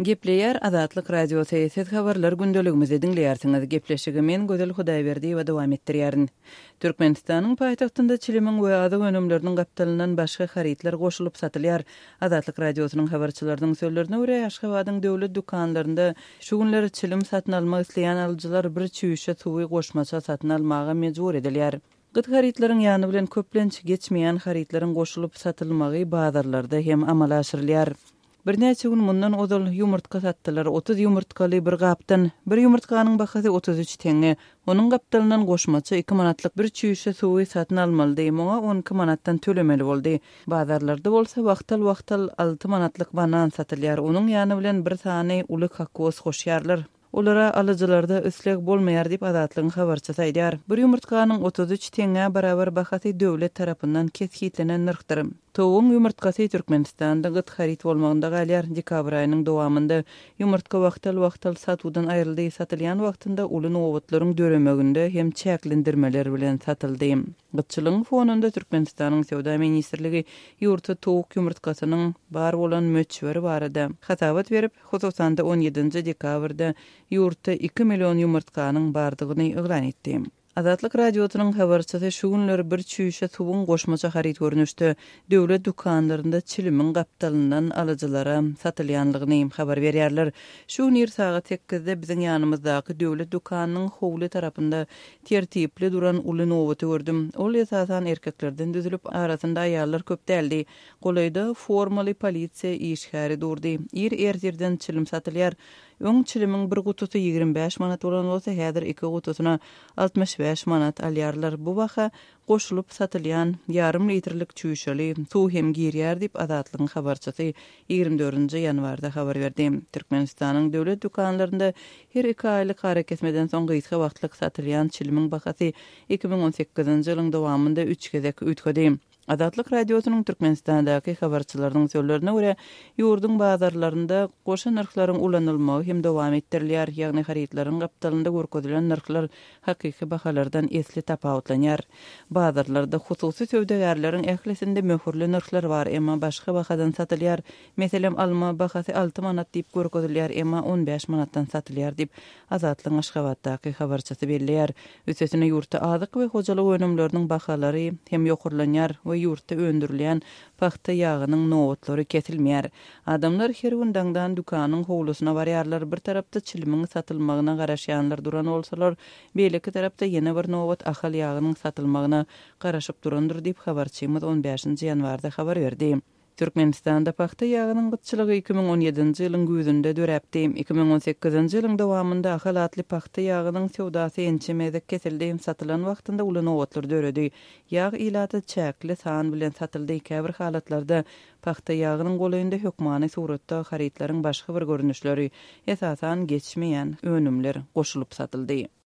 Gepleýär Azatlyk Radiosy, Siz habarlar gündeligimizi diňleýärsiňiz. Gepleşigi men Gözel Hudaýberdiýewa dowam etdirýärin. Türkmenistanyň paýtagtynda çilimiň we azyk önümleriniň gapdalyndan başga harytlar goşulyp satylýar. Azatlyk Radiosynyň habarçylarynyň sözlerine görä, Aşgabadyň döwlet dükanlarynda şu günler çilim satyn almak isleýän alyjylar bir çüýşe suwy goşmaça satyn almaga mejbur edilýär. Gyt harytlaryň ýany bilen köplenç geçmeýän harytlaryň goşulyp satylmagy bazarlarda hem amala aşyrylýar. Birnäçe gün mundan ozal ýumurtga satdylar, 30 ýumurtgaly bir gapdan. Bir ýumurtganyň bahasy 33 teňňe. Onuň gapdalyndan goşmaça iki manatlyk bir çüýşe suwy satyn almalydy, muňa 12 manatdan tölemeli boldy. Bazarlarda bolsa wagtal-wagtal alty manatlyk banan satylýar, onuň ýany bilen bir sany uly kokos goşýarlar. Olara alyjylarda isleg bolmaýar diýip, Azatlygyň habarçysy aýdýar. Bir ýumurtganyň 33 teňňä barabar bahasy döwlet tarapyndan kesgitlenen nyrhdyr. Towugyň ýumurtgasy Türkmenistanda gyt haryt bolmagynda galýar. Dekabr aýynyň dowamynda ýumurtga wagtal-wagtal satuwdan aýryldy, satylýan wagtynda uly nobatlaryň döremeginde hem çäklendirmeler bilen satyldy. Gytçylygyň fonunda Türkmenistanyň Söwda ministrligi ýurtda towuk ýumurtgasynyň bar bolan möçberi barada hasabat berip, Hususan-da, on ýedinji dekabrda ýurtda iki million ýumurtganyň bardygyny yglan etdi. Azatlyk Radiosynyň habarçysy şu günler bir çüýşe suwuň goşmaça haryt görnüşde döwlet dükanlarynda çilimiň gapdalyndan alyjylara satylýanlygyny habar berýärler. Şu gün ir sagat sekizde biziň ýanymyzdaky döwlet dükanynyň howly tarapynda tertipli duran uly nobaty gördüm. Ol esasan erkeklerden düzülip, arasynda aýallar köp däldi. Golaýda formaly polisiýa işgäri durdy. Ir ertirden çilim satylýar. Öň çilimiň bir gutusy 25 manat bolan bolsa, häzir iki gutusyna 65 manat alýarlar. Bu baha goşulyp satylýan ýarym litrlik çüýşeli suw hem girýär diýip, Azatlygyň habarçysy 24-nji ýanwarda habar berdi. Türkmenistanyň döwlet dükanlarynda her iki aýlyk arakesmeden soň gysga wagtlyk satylýan çilimiň bahasy 2018-nji ýylyň dowamynda üç gezek üýtgedi. Azatlyk Radiosynyň Türkmenistandaky habarçylarynyň sözlerine görä, ýurduň bazarlarynda goşa nyrhlaryň ulanylmagy hem dowam etdirilýär, ýagny harytlaryň gapdalynda görkezilen nyrhlar hakyky bahalardan esli tapawutlanýar. Bazarlarda hususy söwdagärleriň ählisinde möhürli nyrhlar bar, emma başga bahadan satylýar. Meselem, alma bahasy alty manat diýip görkezilýär, emma on bäş manatdan satylýar diýip, Azatlygyň Aşgabatdaky habarçysy belleýär. Üstesine ýurtda azyk we hojalyk önümleriniň bahalary hem ýokarlanýar we ýurtda öndürilýän pagta ýagynyň nobatlary kesilmeýär. Adamlar her gün daňdan dükanyň howlusyna barýarlar, bir tarapda çilimiň satylmagyna garaşýanlar duran bolsalar, beýleki tarapda ýene bir nobat ahal ýagynyň satylmagyna garaşyp durandyr diýip, habarçymyz on bäşinji ýanwarda habar berdi. Türkmenistanda pagta ýagynyň gytçylygy 2017-nji ýylyň güýzünde döräpdi. 2018-nji ýylyň dowamynda Ahal atly pagta ýagynyň söwdasy ençeme gezek kesildi, satylan wagtynda uly nobatlar döredi. Ýag ilata çäkli san bilen satyldy, käbir halatlarda pagta ýagynyň golaýynda hökmany suratda harytlaryň başga bir görnüşleri, esasan geçmeýän önümler goşulyp satyldy.